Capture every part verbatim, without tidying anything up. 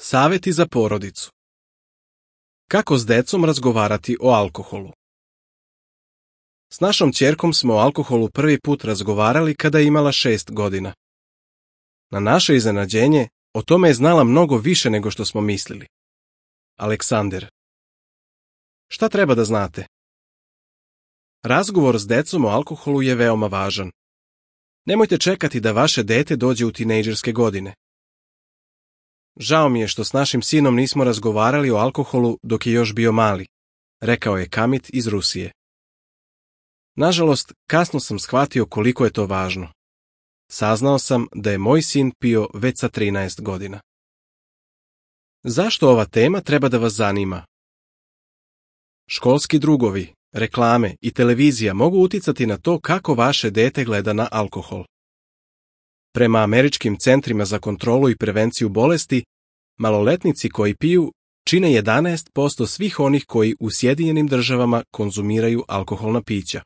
Saveti za porodicu. Kako s decom razgovarati o alkoholu? S našom ćerkom smo o alkoholu prvi put razgovarali kada je imala šest godina. Na naše iznenađenje, o tome je znala mnogo više nego što smo mislili. Aleksander. Šta treba da znate? Razgovor s decom o alkoholu je veoma važan. Nemojte čekati da vaše dete dođe u tinejdžerske godine. Žao mi je što s našim sinom nismo razgovarali o alkoholu dok je još bio mali, rekao je Kamit iz Rusije. Nažalost, kasno sam shvatio koliko je to važno. Saznao sam da je moj sin pio već sa trinaest godina. Zašto ova tema treba da vas zanima? Školski drugovi, reklame i televizija mogu uticati na to kako vaše dete gleda na alkohol. Prema američkim centrima za kontrolu i prevenciju bolesti, maloletnici koji piju čine jedanaest posto svih onih koji u Sjedinjenim državama konzumiraju alkoholna pića.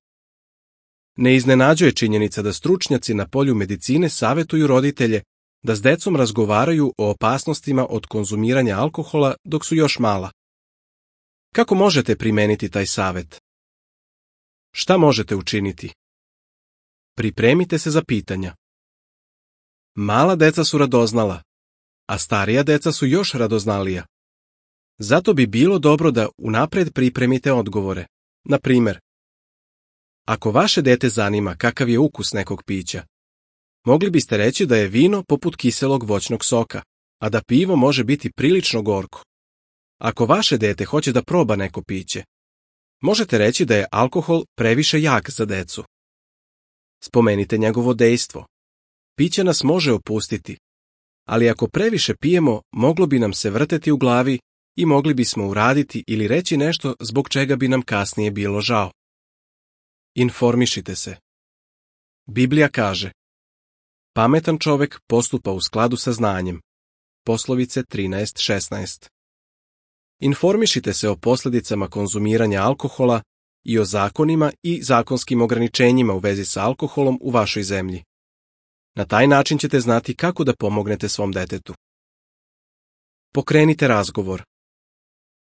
Ne iznenađuje činjenica da stručnjaci na polju medicine savetuju roditelje da s decom razgovaraju o opasnostima od konzumiranja alkohola dok su još mala. Kako možete primeniti taj savet? Šta možete učiniti? Pripremite se za pitanja. Mala deca su radoznala, a starija deca su još radoznalija. Zato bi bilo dobro da unapred pripremite odgovore. Na primer, ako vaše dete zanima kakav je ukus nekog pića, mogli biste reći da je vino poput kiselog voćnog soka, a da pivo može biti prilično gorko. Ako vaše dete hoće da proba neko piće, možete reći da je alkohol previše jak za decu. Spomenite njegovo dejstvo. Piće nas može opustiti, ali ako previše pijemo, moglo bi nam se vrteti u glavi i mogli bismo uraditi ili reći nešto zbog čega bi nam kasnije bilo žao. Informišite se. Biblija kaže: pametan čovek postupa u skladu sa znanjem. Poslovice trinaest šesnaest. Informišite se o posljedicama konzumiranja alkohola i o zakonima i zakonskim ograničenjima u vezi sa alkoholom u vašoj zemlji. Na taj način ćete znati kako da pomognete svom detetu. Pokrenite razgovor.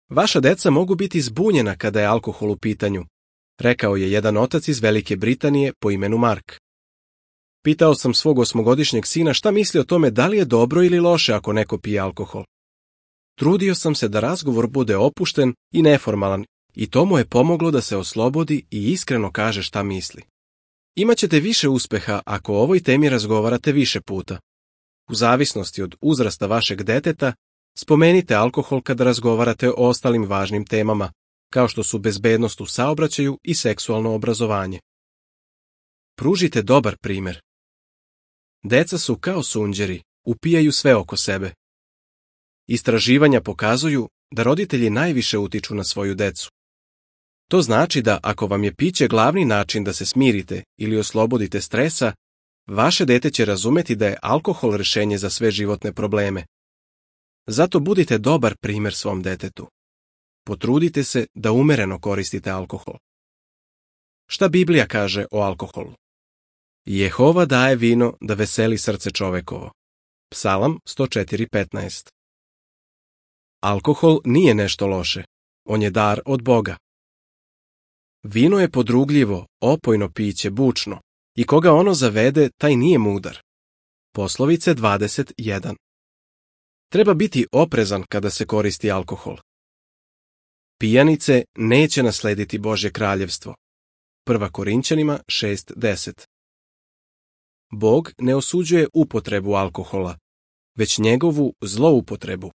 Vaša deca mogu biti zbunjena kada je alkohol u pitanju, rekao je jedan otac iz Velike Britanije po imenu Mark. Pitao sam svog osmogodišnjeg sina šta misli o tome da li je dobro ili loše ako neko pije alkohol. Trudio sam se da razgovor bude opušten i neformalan i to mu je pomoglo da se oslobodi i iskreno kaže šta misli. Imaćete više uspeha ako o ovoj temi razgovarate više puta. U zavisnosti od uzrasta vašeg deteta, spomenite alkohol kada razgovarate o ostalim važnim temama, kao što su bezbednost u saobraćaju i seksualno obrazovanje. Pružite dobar primjer. Deca su kao sunđeri, upijaju sve oko sebe. Istraživanja pokazuju da roditelji najviše utiču na svoju decu. To znači da ako vam je piće glavni način da se smirite ili oslobodite stresa, vaše dete će razumeti da je alkohol rješenje za sve životne probleme. Zato budite dobar primjer svom detetu. Potrudite se da umereno koristite alkohol. Šta Biblija kaže o alkoholu? Jehova daje vino da veseli srce čovekovo. Psalam sto četiri petnaest. Alkohol nije nešto loše. On je dar od Boga. Vino je podrugljivo, opojno piće, bučno, i koga ono zavede, taj nije mudar. Poslovice dvadeset jedan. Treba biti oprezan kada se koristi alkohol. Pijanice neće naslediti Božje kraljevstvo. Prva Korinćanima šest deset. Bog ne osuđuje upotrebu alkohola, već njegovu zloupotrebu.